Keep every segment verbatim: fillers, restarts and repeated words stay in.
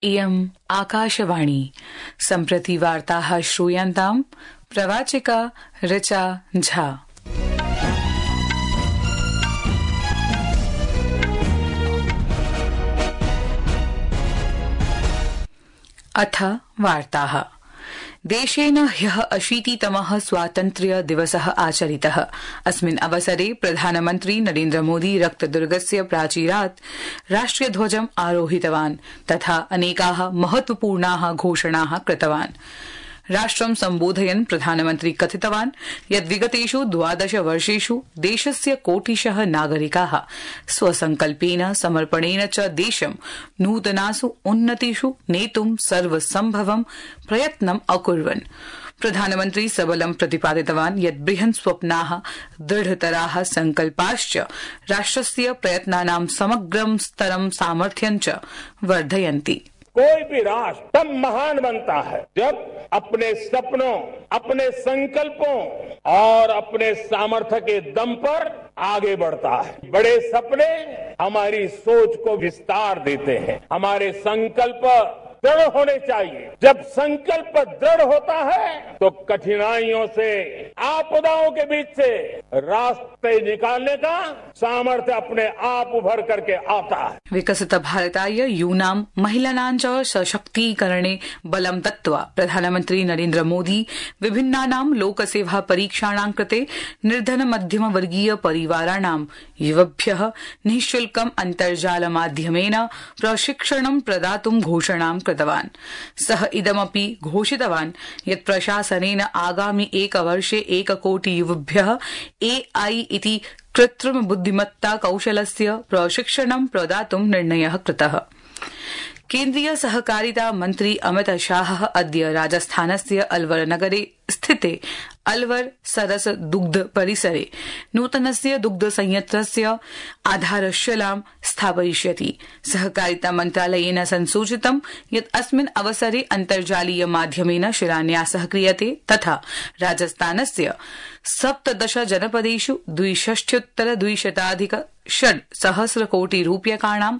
इयम् आकाशवाणी सम्प्रति वार्ताः श्रूयन्ताम् प्रवाचिका ऋचा झा। अथ वार्ताः। देशेन ह्यः अशीतितमः स्वातन्त्र्य दिवसः आचरितः। अस्मिन् अवसरे प्रधानमन्त्री नरेन्द्र मोदी रक्तदुर्गस्य प्राचीरात् राष्ट्रियध्वजम् आरोहितवान् तथा अनेकाः महत्वपूर्णाः घोषणाः कृतवान्। राष्ट्रं सम्बोधयन् प्रधानमन्त्री कथितवान् यत् विगतेषु द्वादश वर्षेषु देशस्य कोटिशः नागरिकाः स्वसंकल्पेन समर्पणेन च देशं नूतनासु उन्नतिषु नेतुं सर्वसम्भवं प्रयत्नम् अकुर्वन्। प्रधानमन्त्री सबलं प्रतिपादितवान् यत् बृहन् स्वप्नाः दृढतराः संकल्पाश्च राष्ट्रस्य प्रयत्नानां समग्रं स्तरं सामर्थ्यं च वर्धयन्ति। कोई भी राष्ट्र तब महान बनता है जब अपने सपनों, अपने संकल्पों और अपने सामर्थ्य के दम पर आगे बढ़ता है। बड़े सपने हमारी सोच को विस्तार देते हैं। हमारे संकल्प दृढ़ होने चाहिए। जब संकल्प दृढ़ होता है तो कठिनाइयों से, आपदाओं के बीच से रास्ते निकालने का सामर्थ्य अपने आप उभर करके आता है। विकसित भारताय यूनां महिलानां च सशक्तीकरणे बलं दत्त्वा प्रधानमन्त्री नरेन्द्र मोदी विभिन्नानां लोकसेवा परीक्षाणां कृते निर्धन मध्यम वर्गीय परिवाराणां युवभ्यः निःशुल्कम् अन्तर्जाल माध्यमेन प्रशिक्षणं प्रदातुं घोषणां कृतवान्। सः इदमपि घोषितवान् यत् प्रशासनेन आगामि एकवर्षे एककोटि युवभ्यः एआई इति कृत्रिम बुद्धिमत्ता कौशलस्य प्रशिक्षणं प्रदातुं निर्णयः कृतः। केन्द्रीय सहकारिता मन्त्री अमित शाहः अद्य राजस्थानस्य अलवर नगरे स्थिते अलवर सरस दुग्ध परिसरे नूतनस्य दुग्ध संयन्त्रस्य आधारशिलां स्थापयिष्यति। सहकारिता मन्त्रालयेन संसूचितं यत् अस्मिन् अवसरे अन्तर्जालीय माध्यमेन शिलान्यासः क्रियते तथा राजस्थानस्य सप्तदश जनपदेषु द्विषष्ट्युत्तर द्विशताधिक षड् सहस्र कोटि रूप्यकाणां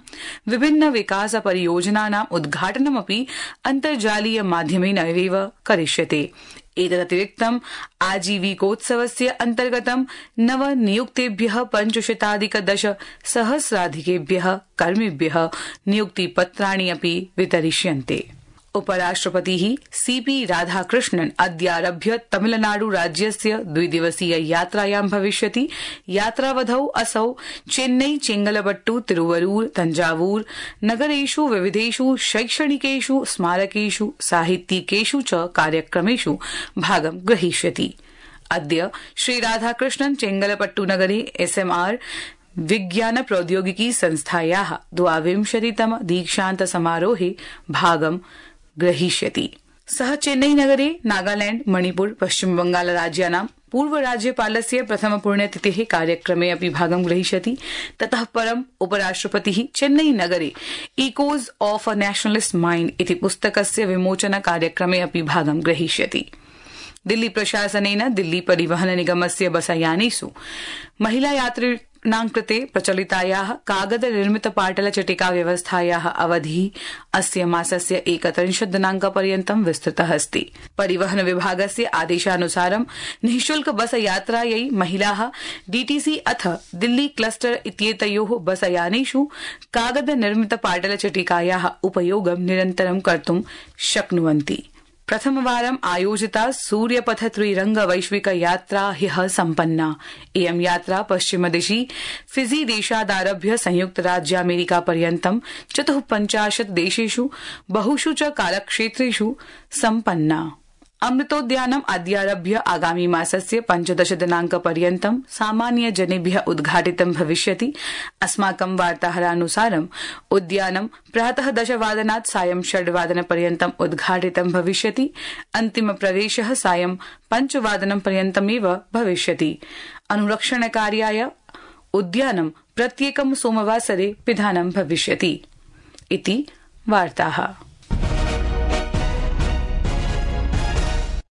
विभिन्न विकास परियोजनानां उद्घाटनमपि अन्तर्जालीय माध्यमेन एव करिष्यते। एतदतिरिक्तम् आजीविकोत्सवस्य अन्तर्गतं नवनियुक्तेभ्यः पञ्चशताधिक दश सहस्राधिकेभ्यः कर्मिभ्यः नियुक्तिपत्राणि अपि वितरिष्यन्ते। उपराष्ट्रपतिः सीपी राधाकृष्णन् अद्यारभ्य तमिलनाडु राज्यस्य द्विदिवसीय यात्रायां भविष्यति। यात्रावधौ असौ चेन्नई, चेंगलपट्टु, तिरुवरूर, तंजावूर नगरेषु विविधेषु शैक्षणिकेषु स्मारकेषु साहित्यिकेषु च कार्यक्रमेषु भागं ग्रहीष्यति। अद्य श्रीराधाकृष्णन् चेंगलपट्टुनगरे एसएमआर विज्ञान प्रौद्योगिकी संस्थायाः द्वाविंशतितम दीक्षान्त समारोहे भागं ग्रहीष्यति। सः चेन्नई नगरे नागालैंड, मणिपुर, पश्चिम बंगाल राज्यानां पूर्व राज्यपालस्य प्रथम पुण्यतिथेः कार्यक्रमे अपि भागं ग्रहीष्यति। ततः परम् उपराष्ट्रपतिः चेन्नई नगरे echoes of a nationalist mind इति पुस्तकस्य विमोचन कार्यक्रमे अपि भागं ग्रहीष्यति। दिल्ली प्रशासनेन दिल्ली परिवहन निगमस्य बसयानेषु महिला यात्रिणां कृते प्रचलितायाः कागद निर्मित पाटल चिटिका व्यवस्थायाः अवधिः अस्य मासस्य एकत्रिंशत् दिनांकपर्यन्तं विस्तृतः अस्ति। परिवहन विभागस्य आदेशानुसारं निःशुल्क बस यात्रायै महिलाः डीटीसी अथ दिल्ली क्लस्टर इत्येतयोः बसयानेषु कागद निर्मित पाटल चिटिकायाः उपयोगं निरन्तरं कर्तुं शक्नुवन्ति। प्रथमवारम् आयोजिता सूर्यपथ त्रिरंग वैश्विक यात्रा ह्यः सम्पन्ना। इयं यात्रा पश्चिमदिशि फिजी देशादारभ्य संयुक्तराज्यामेरिका पर्यन्तं चतुःपञ्चाशत् देशेषु बहुषु च कालक्षेत्रेषु सम्पन्ना। अमृतोद्यानम् अद्यारभ्य आगामी मासस्य पञ्चदश दिनांकपर्यन्तं सामान्य जनेभ्यः उद्घाटितं भविष्यति। अस्माकं वार्ताहरानुसारम् उद्यानं प्रातः दशवादनात् सायं षड्वादनपर्यन्तम् उद्घाटितं भविष्यति। अन्तिम प्रवेशः सायं पञ्चवादनपर्यन्तमेव भविष्यति। अनुरक्षणकार्याय उद्यानं प्रत्येकं सोमवासरे पिधानं भविष्यति इति वार्ताः।